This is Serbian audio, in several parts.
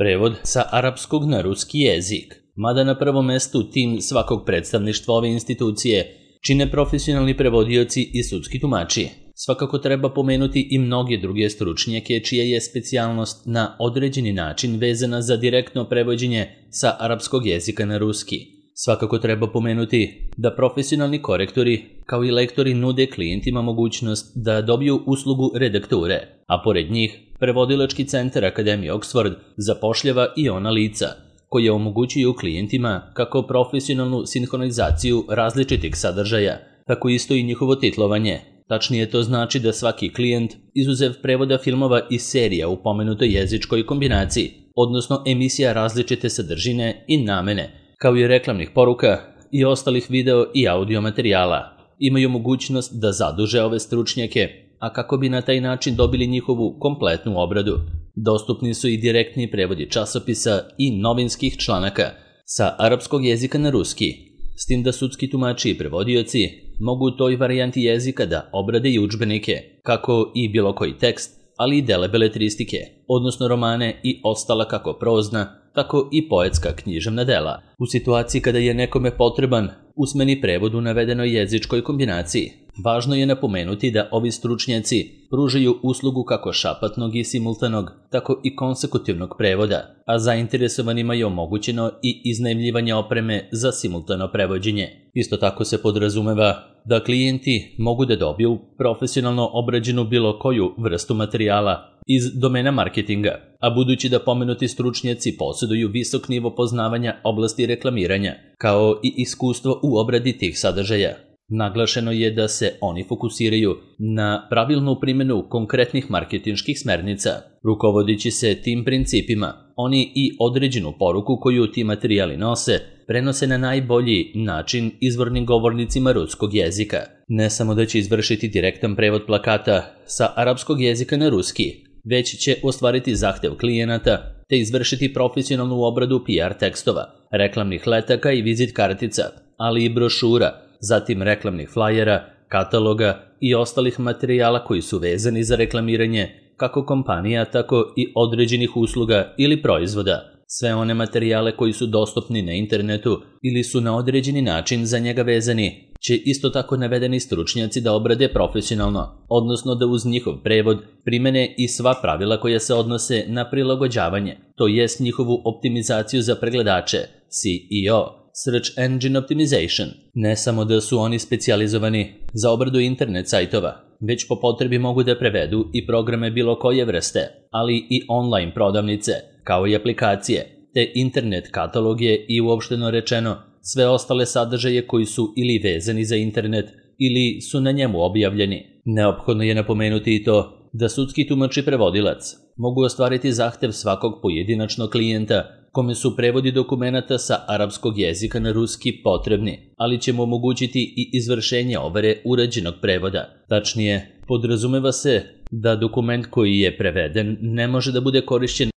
Prevod sa arapskog na ruski jezik. Mada na prvom mestu tim svakog predstavništva ove institucije čine profesionalni prevodioci i sudski tumači. Svakako treba pomenuti i mnoge druge stručnjake čija je specijalnost na određeni način vezana za direktno prevođenje sa arapskog jezika na ruski. Svakako treba pomenuti da profesionalni korektori kao i lektori nude klijentima mogućnost da dobiju uslugu redakture, a pored njih Prevodilački centar Akademije Oxford zapošljava i ona lica koje omogućuju klijentima kako profesionalnu sinhronizaciju različitih sadržaja, tako isto i njihovo titlovanje. Tačnije to znači da svaki klijent, izuzev prevoda filmova i serija u pomenutoj jezičkoj kombinaciji, odnosno emisija različite sadržine i namene, kao i reklamnih poruka i ostalih video i audio materijala, imaju mogućnost da zaduže ove stručnjake, a kako bi na taj način dobili njihovu kompletnu obradu. Dostupni su i direktni prevodi časopisa i novinskih članaka sa arapskog jezika na ruski, s tim da sudski tumači i prevodioci mogu u toj varijanti jezika da obrade i udžbenike, kako i bilo koji tekst, ali i dele beletristike, odnosno romane i ostala kako prozna, tako i poetska književna dela. U situaciji kada je nekome potreban usmeni prevod u navedenoj jezičkoj kombinaciji, važno je napomenuti da ovi stručnjaci pružaju uslugu kako šapatnog i simultanog, tako i konsekutivnog prevoda, a zainteresovanima je omogućeno i iznajmljivanje opreme za simultano prevođenje. Isto tako se podrazumeva da klijenti mogu da dobiju profesionalno obrađenu bilo koju vrstu materijala iz domena marketinga, a budući da pomenuti stručnjaci posjeduju visok nivo poznavanja oblasti reklamiranja, kao i iskustvo u obradi tih sadržaja, naglašeno je da se oni fokusiraju na pravilnu primjenu konkretnih marketinških smernica. Rukovodeći se tim principima, oni i određenu poruku koju ti materijali nose prenose na najbolji način izvornim govornicima ruskog jezika. Ne samo da će izvršiti direktan prevod plakata sa arapskog jezika na ruski, već će ostvariti zahtev klijenata te izvršiti profesionalnu obradu PR tekstova, reklamnih letaka i vizit kartica, ali i brošura, zatim reklamnih flajera, kataloga i ostalih materijala koji su vezani za reklamiranje kako kompanija, tako i određenih usluga ili proizvoda. Sve one materijale koji su dostupni na internetu ili su na određeni način za njega vezani, će isto tako navedeni stručnjaci da obrade profesionalno, odnosno da uz njihov prevod primene i sva pravila koja se odnose na prilagođavanje, to jest njihovu optimizaciju za pregledače, SEO, Search Engine Optimization. Ne samo da su oni specijalizovani za obradu internet sajtova, već po potrebi mogu da prevedu i programe bilo koje vrste, ali i online prodavnice, kao i aplikacije, te internet kataloge i uopšteno rečeno sve ostale sadržaje koji su ili vezani za internet ili su na njemu objavljeni. Neophodno je napomenuti i to da sudski tumač i prevodilac mogu ostvariti zahtev svakog pojedinačnog klijenta kome su prevodi dokumenata sa arapskog jezika na ruski potrebni, ali će mu omogućiti i izvršenje overe urađenog prevoda. Tačnije, podrazumeva se da dokument koji je preveden ne može da bude korišćen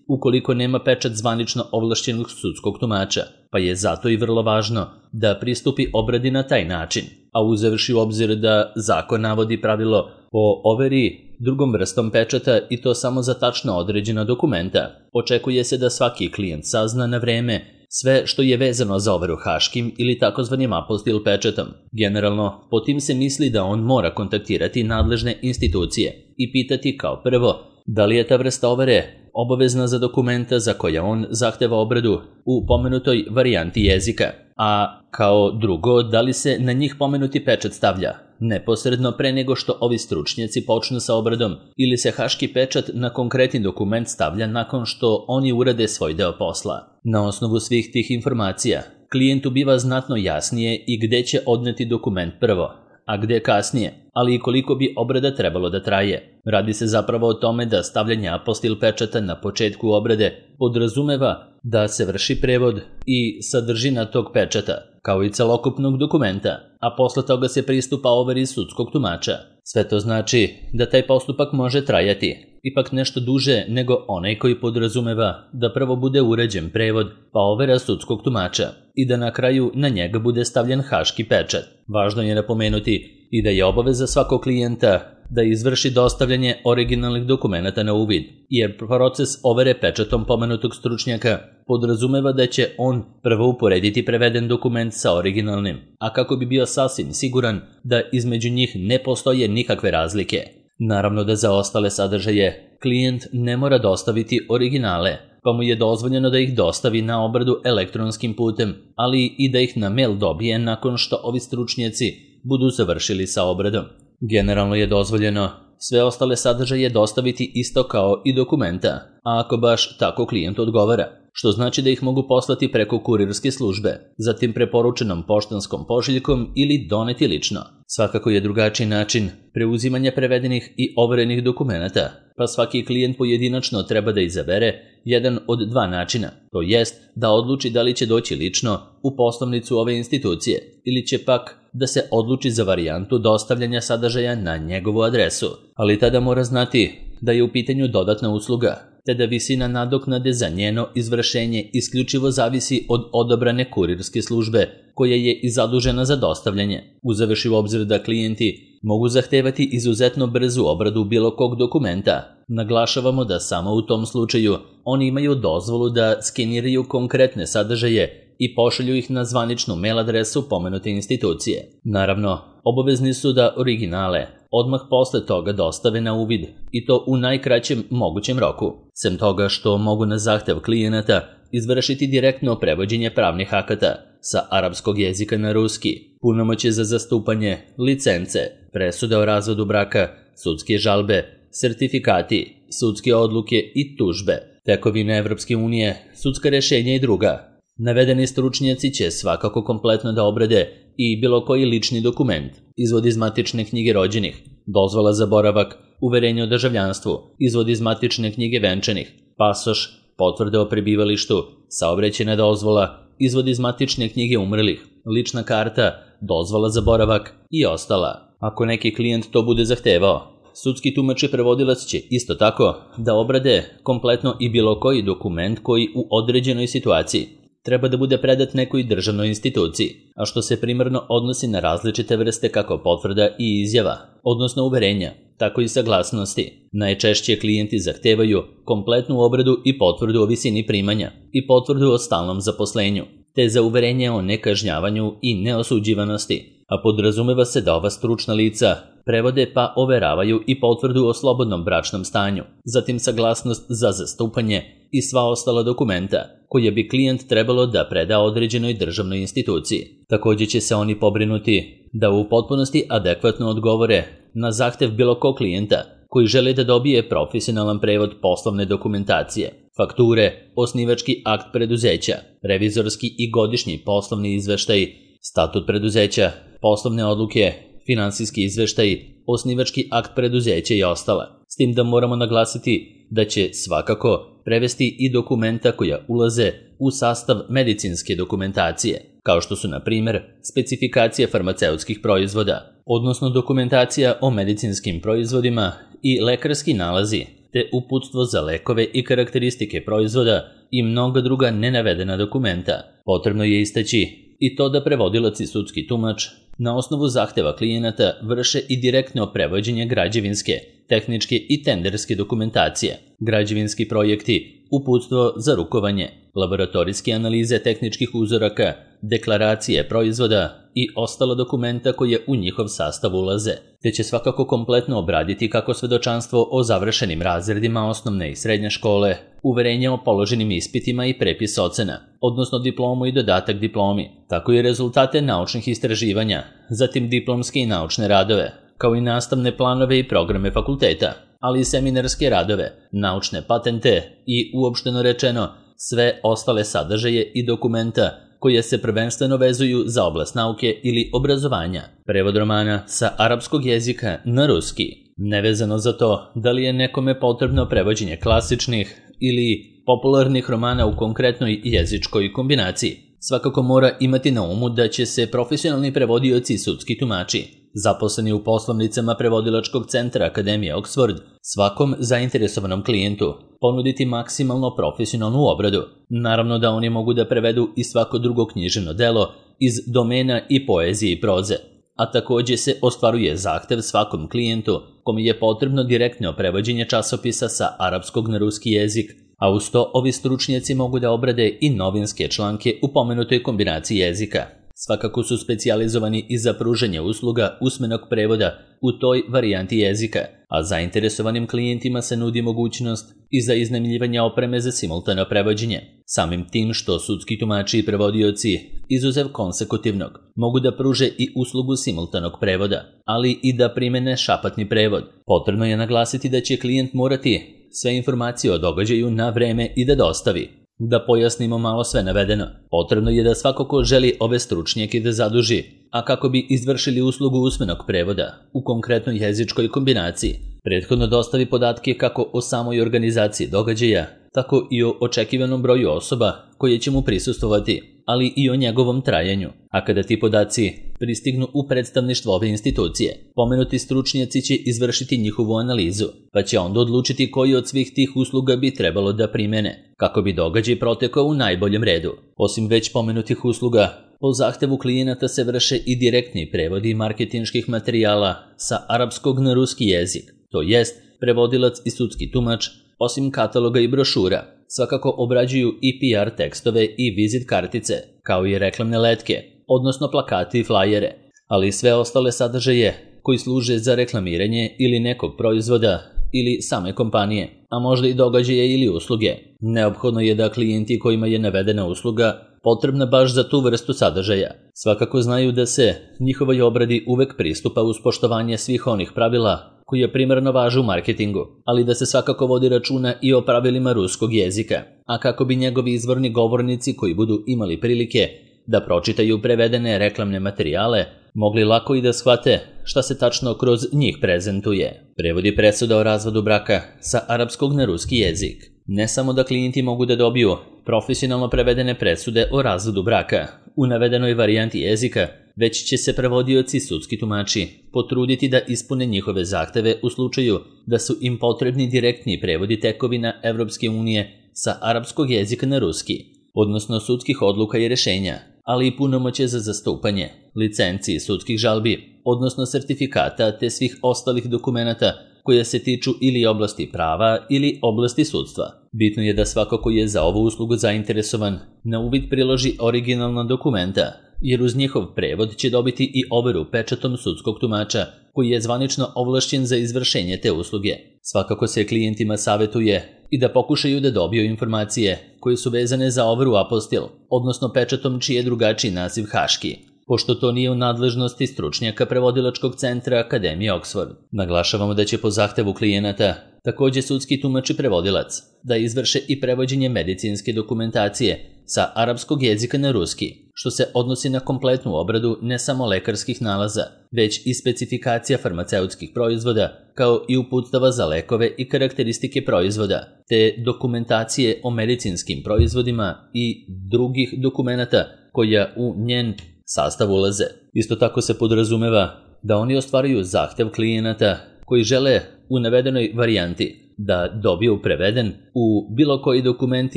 ukoliko nema pečat zvanično ovlašćenog sudskog tumača, pa je zato i vrlo važno da pristupi obradi na taj način, a uzevši u obzir da zakon navodi pravilo o overi drugom vrstom pečata i to samo za tačno određena dokumenta, očekuje se da svaki klijent sazna na vreme sve što je vezano za overu haškim ili takozvanim apostil pečatom. Generalno, po tim se misli da on mora kontaktirati nadležne institucije i pitati kao prvo da li je ta vrsta overe obavezna za dokumenta za koja on zahteva obradu u pomenutoj varijanti jezika, a kao drugo da li se na njih pomenuti pečat stavlja neposredno pre nego što ovi stručnjaci počnu sa obradom ili se haški pečat na konkretni dokument stavlja nakon što oni urade svoj deo posla. Na osnovu svih tih informacija, klijentu biva znatno jasnije i gde će odneti dokument prvo, a gde kasnije, ali i koliko bi obrada trebalo da traje. Radi se zapravo o tome da stavljanje apostil pečata na početku obrade podrazumeva da se vrši prevod i sadržina tog pečata, kao i celokupnog dokumenta, a posle toga se pristupa overi sudskog tumača. Sve to znači da taj postupak može trajati ipak nešto duže nego onaj koji podrazumeva da prvo bude uređen prevod pa overa sudskog tumača i da na kraju na njega bude stavljen haški pečat. Važno je napomenuti i da je obaveza svakog klijenta da izvrši dostavljanje originalnih dokumenata na uvid, jer proces overe pečatom pomenutog stručnjaka podrazumeva da će on prvo uporediti preveden dokument sa originalnim, a kako bi bio sasvim siguran da između njih ne postoje nikakve razlike. Naravno da za ostale sadržaje klijent ne mora dostaviti originale, pa mu je dozvoljeno da ih dostavi na obradu elektronskim putem, ali i da ih na mail dobije nakon što ovi stručnjaci budu završili sa obradom. Generalno je dozvoljeno sve ostale sadržaje dostaviti isto kao i dokumenta, a ako baš tako klijent odgovara, što znači da ih mogu poslati preko kurirske službe, zatim preporučenom poštanskom pošiljkom ili doneti lično. Svakako je drugačiji način preuzimanja prevedenih i overenih dokumenata, pa svaki klijent pojedinačno treba da izabere jedan od dva načina, to jest da odluči da li će doći lično u poslovnicu ove institucije ili će pak da se odluči za varijantu dostavljanja sadržaja na njegovu adresu, ali tada mora znati da je u pitanju dodatna usluga, te da visina nadoknade za njeno izvršenje isključivo zavisi od odabrane kurirske službe koja je i zadužena za dostavljanje, uzevši u obzir da klijenti mogu zahtevati izuzetno brzu obradu bilo kog dokumenta. Naglašavamo da samo u tom slučaju oni imaju dozvolu da skeniraju konkretne sadržaje i pošalju ih na zvaničnu mail adresu pomenute institucije. Naravno, obavezni su da originale odmah posle toga dostave na uvid i to u najkraćem mogućem roku, sem toga što mogu na zahtev klijenata izvršiti direktno prevođenje pravnih akata sa arapskog jezika na ruski, punomoćje za zastupanje, licence, presude o razvodu braka, sudske žalbe, sertifikati, sudske odluke i tužbe, tekovine Evropske unije, sudska rešenja i druga. Navedeni stručnjaci će svakako kompletno da obrade i bilo koji lični dokument, izvod iz matične knjige rođenih, dozvola za boravak, uverenje o državljanstvu, izvod iz matične knjige venčanih, pasoš, potvrde o prebivalištu, saobraćajna dozvola, izvod iz matične knjige umrlih, lična karta, dozvola za boravak i ostala. Ako neki klijent to bude zahtevao, sudski tumač i prevodilac će isto tako da obrade kompletno i bilo koji dokument koji u određenoj situaciji treba da bude predat nekoj državnoj instituciji, a što se primarno odnosi na različite vrste kako potvrda i izjava, odnosno uverenja, tako i saglasnosti. Najčešće klijenti zahtevaju kompletnu obradu i potvrdu o visini primanja i potvrdu o stalnom zaposlenju, te za uverenje o nekažnjavanju i neosuđivanosti, a podrazumeva se da ova stručna lica prevode pa overavaju i potvrdu o slobodnom bračnom stanju, zatim saglasnost za zastupanje i sva ostala dokumenta koje bi klijent trebalo da preda određenoj državnoj instituciji. Također će se oni pobrinuti da u potpunosti adekvatno odgovore na zahtev bilo kog klijenta koji želi da dobije profesionalan prevod poslovne dokumentacije, fakture, osnivački akt preduzeća, revizorski i godišnji poslovni izveštaj, statut preduzeća, poslovne odluke, finansijski izveštaj, osnivački akt preduzeća i ostala. S tim da moramo naglasiti da će svakako prevesti i dokumenta koja ulaze u sastav medicinske dokumentacije, kao što su na primjer specifikacije farmaceutskih proizvoda, odnosno dokumentacija o medicinskim proizvodima i lekarski nalazi, te uputstvo za lekove i karakteristike proizvoda i mnoga druga nenavedena dokumenta. Potrebno je istaći i to da prevodilac i sudski tumač na osnovu zahteva klijenata vrše i direktno prevođenje građevinske, tehničke i tenderske dokumentacije, građevinski projekti, uputstvo za rukovanje, laboratorijske analize tehničkih uzoraka, deklaracije proizvoda i ostala dokumenta koje u njihov sastav ulaze, te će svakako kompletno obraditi kako svedočanstvo o završenim razredima osnovne i srednje škole, uverenje o položenim ispitima i prepis ocena, odnosno diplomu i dodatak diplomi, tako i rezultate naučnih istraživanja, zatim diplomske i naučne radove, kao i nastavne planove i programe fakulteta, ali i seminarske radove, naučne patente i, uopšteno rečeno, sve ostale sadržaje i dokumenta koje se prvenstveno vezuju za oblast nauke ili obrazovanja. Prevod romana sa arapskog jezika na ruski, nevezano za to da li je nekome potrebno prevođenje klasičnih ili popularnih romana u konkretnoj jezičkoj kombinaciji. Svakako mora imati na umu da će se profesionalni prevodioci i sudski tumači, zaposleni u poslovnicama prevodilačkog centra Akademije Oxford, svakom zainteresovanom klijentu ponuditi maksimalno profesionalnu obradu. Naravno da oni mogu da prevedu i svako drugo književno delo iz domena i poezije i proze, a takođe se ostvaruje zahtev svakom klijentu kome je potrebno direktno prevođenje časopisa sa arapskog na ruski jezik, a uz to ovi stručnjaci mogu da obrade i novinske članke u pomenutoj kombinaciji jezika. Svakako su specijalizovani i za pružanje usluga usmenog prevoda u toj varijanti jezika, a zainteresovanim klijentima se nudi mogućnost i za iznajmljivanje opreme za simultano prevođenje. Samim tim što sudski tumači i prevodioci, izuzev konsekutivnog, mogu da pruže i uslugu simultanog prevoda, ali i da primene šapatni prevod. Potrebno je naglasiti da će klijent morati sve informacije o događaju na vreme i da dostavi. Da pojasnimo malo sve navedeno, potrebno je da svako ko želi ove stručnjake da zaduži, a kako bi izvršili uslugu usmenog prevoda u konkretnoj jezičkoj kombinaciji, prethodno dostavi podatke kako o samoj organizaciji događaja, tako i o očekivanom broju osoba koje će mu prisustvovati, ali i o njegovom trajanju. A kada ti podaci pristignu u predstavništvo ove institucije, pomenuti stručnjaci će izvršiti njihovu analizu, pa će onda odlučiti koji od svih tih usluga bi trebalo da primene, kako bi događaj protekao u najboljem redu. Osim već pomenutih usluga, po zahtevu klijenata se vrše i direktni prevodi marketinških materijala sa arapskog na ruski jezik, to jest prevodilac i sudski tumač, osim kataloga i brošura, svakako obrađuju i PR tekstove i vizit kartice, kao i reklamne letke, odnosno plakate i flajere, ali i sve ostale sadržaje koji služe za reklamiranje ili nekog proizvoda ili same kompanije, a možda i događaje ili usluge. Neophodno je da klijenti kojima je navedena usluga potrebna baš za tu vrstu sadržaja svakako znaju da se njihovoj obradi uvek pristupa uz poštovanje svih onih pravila koje primarno važe u marketingu, ali da se svakako vodi računa i o pravilima ruskog jezika, a kako bi njegovi izvorni govornici koji budu imali prilike da pročitaju prevedene reklamne materijale, mogli lako i da shvate šta se tačno kroz njih prezentuje. Prevodi presuda o razvodu braka sa arapskog na ruski jezik. Ne samo da klijenti mogu da dobiju profesionalno prevedene presude o razvodu braka u navedenoj varijanti jezika, već će se prevodioci sudski tumači potruditi da ispune njihove zahteve u slučaju da su im potrebni direktni prevodi tekovina Evropske unije sa arapskog jezika na ruski, odnosno sudskih odluka i rešenja, ali i punomoćje za zastupanje, licenciji sudskih žalbi, odnosno sertifikata te svih ostalih dokumenata koja se tiču ili oblasti prava ili oblasti sudstva. Bitno je da svako ko je za ovu uslugu zainteresovan na uvid priloži originalna dokumenta, jer uz njihov prevod će dobiti i overu pečatom sudskog tumača koji je zvanično ovlašćen za izvršenje te usluge. Svakako se klijentima savetuje i da pokušaju da dobiju informacije koje su vezane za overu apostil, odnosno pečatom čiji je drugačiji naziv haški, pošto to nije u nadležnosti stručnjaka prevodilačkog centra Akademije Oxford. Naglašavamo da će po zahtevu klijenata takođe sudski tumač i prevodilac da izvrše i prevođenje medicinske dokumentacije sa arapskog jezika na ruski, što se odnosi na kompletnu obradu ne samo lekarskih nalaza, već i specifikacija farmaceutskih proizvoda, kao i uputstava za lekove i karakteristike proizvoda, te dokumentacije o medicinskim proizvodima i drugih dokumenata koja u njen sastav ulaze. Isto tako se podrazumeva da oni ostvaruju zahtev klijenata koji žele u navedenoj varijanti da dobiju preveden u bilo koji dokument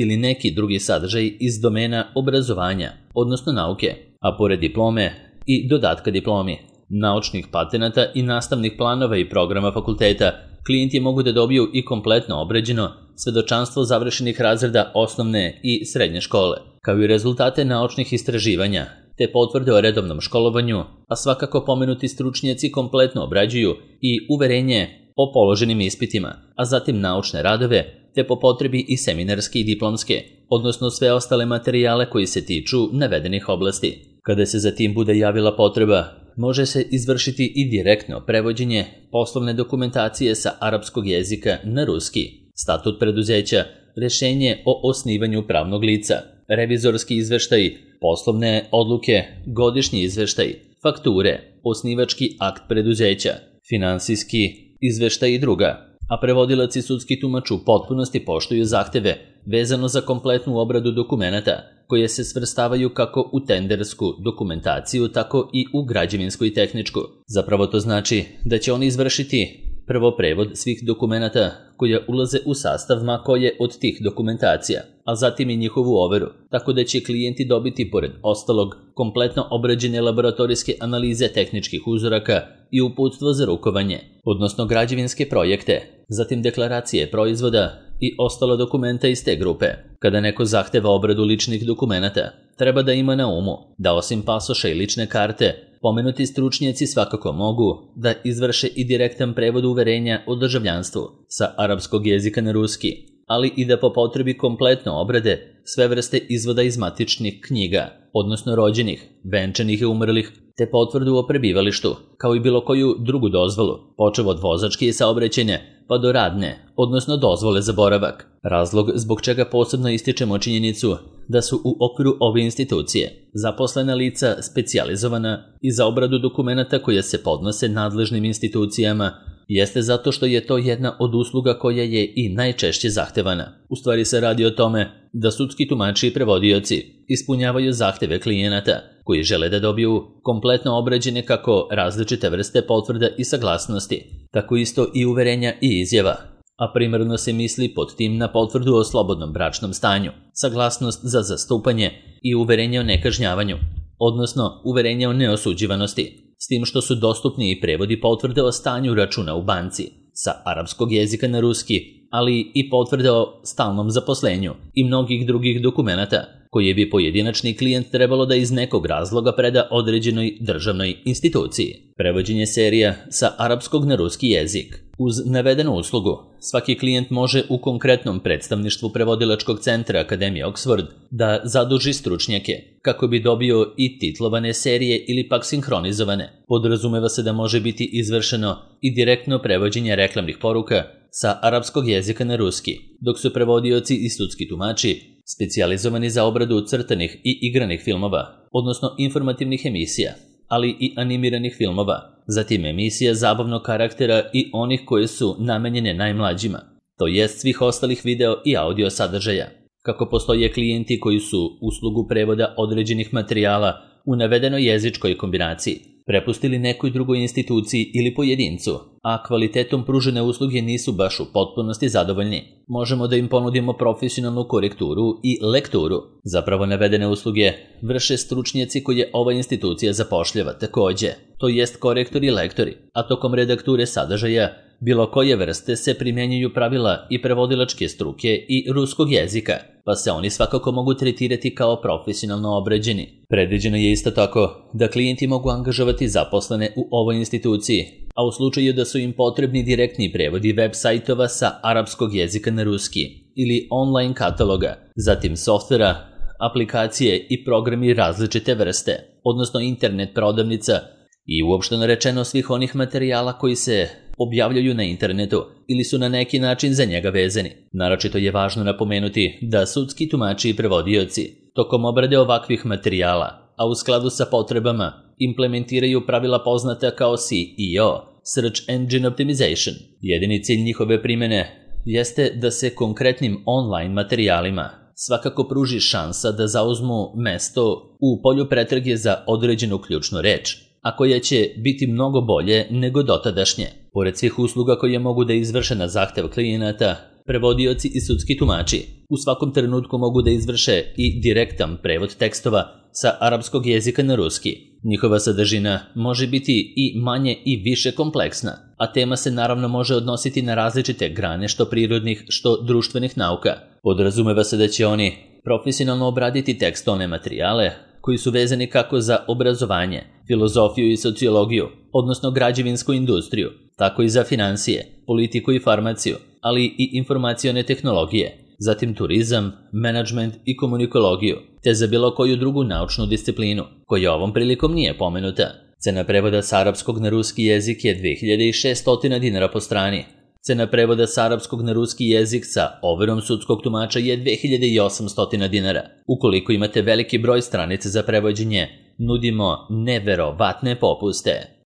ili neki drugi sadržaj iz domena obrazovanja, odnosno nauke, a pored diplome i dodatka diplomi, naučnih patenata i nastavnih planova i programa fakulteta, klijenti mogu da dobiju i kompletno obrađeno svedočanstvo završenih razreda osnovne i srednje škole, kao i rezultate naučnih istraživanja, te potvrde o redovnom školovanju, a svakako pomenuti stručnjaci kompletno obrađuju i uverenje o položenim ispitima, a zatim naučne radove, te po potrebi i seminarske i diplomske, odnosno sve ostale materijale koji se tiču navedenih oblasti. Kada se zatim bude javila potreba, može se izvršiti i direktno prevođenje poslovne dokumentacije sa arapskog jezika na ruski, statut preduzeća, rešenje o osnivanju pravnog lica, revizorski izveštaj, poslovne odluke, godišnji izveštaj, fakture, osnivački akt preduzeća, finansijski izveštaj i druga, a prevodilac i sudski tumač u potpunosti poštuju zahteve vezano za kompletnu obradu dokumenata koje se svrstavaju kako u tendersku dokumentaciju, tako i u građevinsku i tehničku. Zapravo to znači da će oni izvršiti prvo prevod svih dokumenata koja ulaze u sastav ma koje od tih dokumentacija, a zatim i njihovu overu, tako da će klijenti dobiti pored ostalog kompletno obrađene laboratorijske analize tehničkih uzoraka i uputstvo za rukovanje, odnosno građevinske projekte, zatim deklaracije proizvoda i ostala dokumenta iz te grupe. Kada neko zahteva obradu ličnih dokumenata, treba da ima na umu da osim pasoša i lične karte, pomenuti stručnjaci svakako mogu da izvrše i direktan prevod uverenja o državljanstvu sa arapskog jezika na ruski, ali i da po potrebi kompletno obrade sve vrste izvoda iz matičnih knjiga, odnosno rođenih, venčanih i umrlih, te potvrdu o prebivalištu, kao i bilo koju drugu dozvolu, počev od vozačke i saobraćajne, pa do radne, odnosno dozvole za boravak. Razlog zbog čega posebno ističemo činjenicu da su u okviru ove institucije zaposlena lica specijalizovana i za obradu dokumenata koje se podnose nadležnim institucijama jeste zato što je to jedna od usluga koja je i najčešće zahtevana. U stvari se radi o tome da sudski tumači i prevodioci ispunjavaju zahteve klijenata koji žele da dobiju kompletno obrađene kako različite vrste potvrda i saglasnosti, tako isto i uverenja i izjava, a primarno se misli pod tim na potvrdu o slobodnom bračnom stanju, saglasnost za zastupanje i uverenje o nekažnjavanju, odnosno uverenje o neosuđivanosti, s tim što su dostupni i prevodi potvrde o stanju računa u banci sa arapskog jezika na ruski, ali i potvrde o stalnom zaposlenju i mnogih drugih dokumenata koje bi pojedinačni klijent trebalo da iz nekog razloga preda određenoj državnoj instituciji. Prevođenje serija sa arapskog na ruski jezik. Uz navedenu uslugu, svaki klijent može u konkretnom predstavništvu prevodilačkog centra Akademije Oxford da zaduži stručnjake kako bi dobio i titlovane serije ili pak sinhronizovane. Podrazumeva se da može biti izvršeno i direktno prevođenje reklamnih poruka sa arapskog jezika na ruski, dok su prevodioci i sudski tumači specijalizovani za obradu crtanih i igranih filmova, odnosno informativnih emisija, ali i animiranih filmova, zatim emisija zabavnog karaktera i onih koje su namenjene najmlađima, to jest svih ostalih video i audio sadržaja. Kako postoje klijenti koji su uslugu prevoda određenih materijala u navedenoj jezičkoj kombinaciji prepustili nekoj drugoj instituciji ili pojedincu, a kvalitetom pružene usluge nisu baš u potpunosti zadovoljni, možemo da im ponudimo profesionalnu korekturu i lekturu. Zapravo navedene usluge vrše stručnjaci koje ova institucija zapošljava takođe, to jest korektori i lektori, a tokom redakture sadržaja bilo koje vrste se primjenjuju pravila i prevodilačke struke i ruskog jezika, pa se oni svakako mogu tretirati kao profesionalno obrađeni. Predviđeno je isto tako da klijenti mogu angažovati zaposlene u ovoj instituciji, a u slučaju da su im potrebni direktni prevodi web sajtova sa arapskog jezika na ruski ili online kataloga, zatim softvera, aplikacije i programi različite vrste, odnosno internet prodavnica i uopšteno rečeno svih onih materijala koji se objavljaju na internetu ili su na neki način za njega vezani. Naročito je važno napomenuti da sudski tumači i prevodioci tokom obrade ovakvih materijala, a u skladu sa potrebama, implementiraju pravila poznata kao SEO, Search Engine Optimization. Jedini cilj njihove primjene jeste da se konkretnim online materijalima svakako pruži šansa da zauzmu mesto u polju pretrage za određenu ključnu reč, a koja će biti mnogo bolje nego dotadašnje. Pored svih usluga koje mogu da izvrše na zahtev klijenata, prevodioci i sudski tumači u svakom trenutku mogu da izvrše i direktan prevod tekstova sa arapskog jezika na ruski. Njihova sadržina može biti i manje i više kompleksna, a tema se naravno može odnositi na različite grane što prirodnih, što društvenih nauka. Podrazumeva se da će oni profesionalno obraditi tekstovne materijale koji su vezani kako za obrazovanje, filozofiju i sociologiju, odnosno građevinsku industriju, tako i za finansije, politiku i farmaciju, ali i informacione tehnologije, zatim turizam, menadžment i komunikologiju, te za bilo koju drugu naučnu disciplinu, koja ovom prilikom nije pomenuta. Cena prevoda sa arapskog na ruski jezik je 2600 dinara po strani. Cena prevoda sa arapskog na ruski jezik sa overom sudskog tumača je 2800 dinara. Ukoliko imate veliki broj stranica za prevođenje, nudimo neverovatne popuste.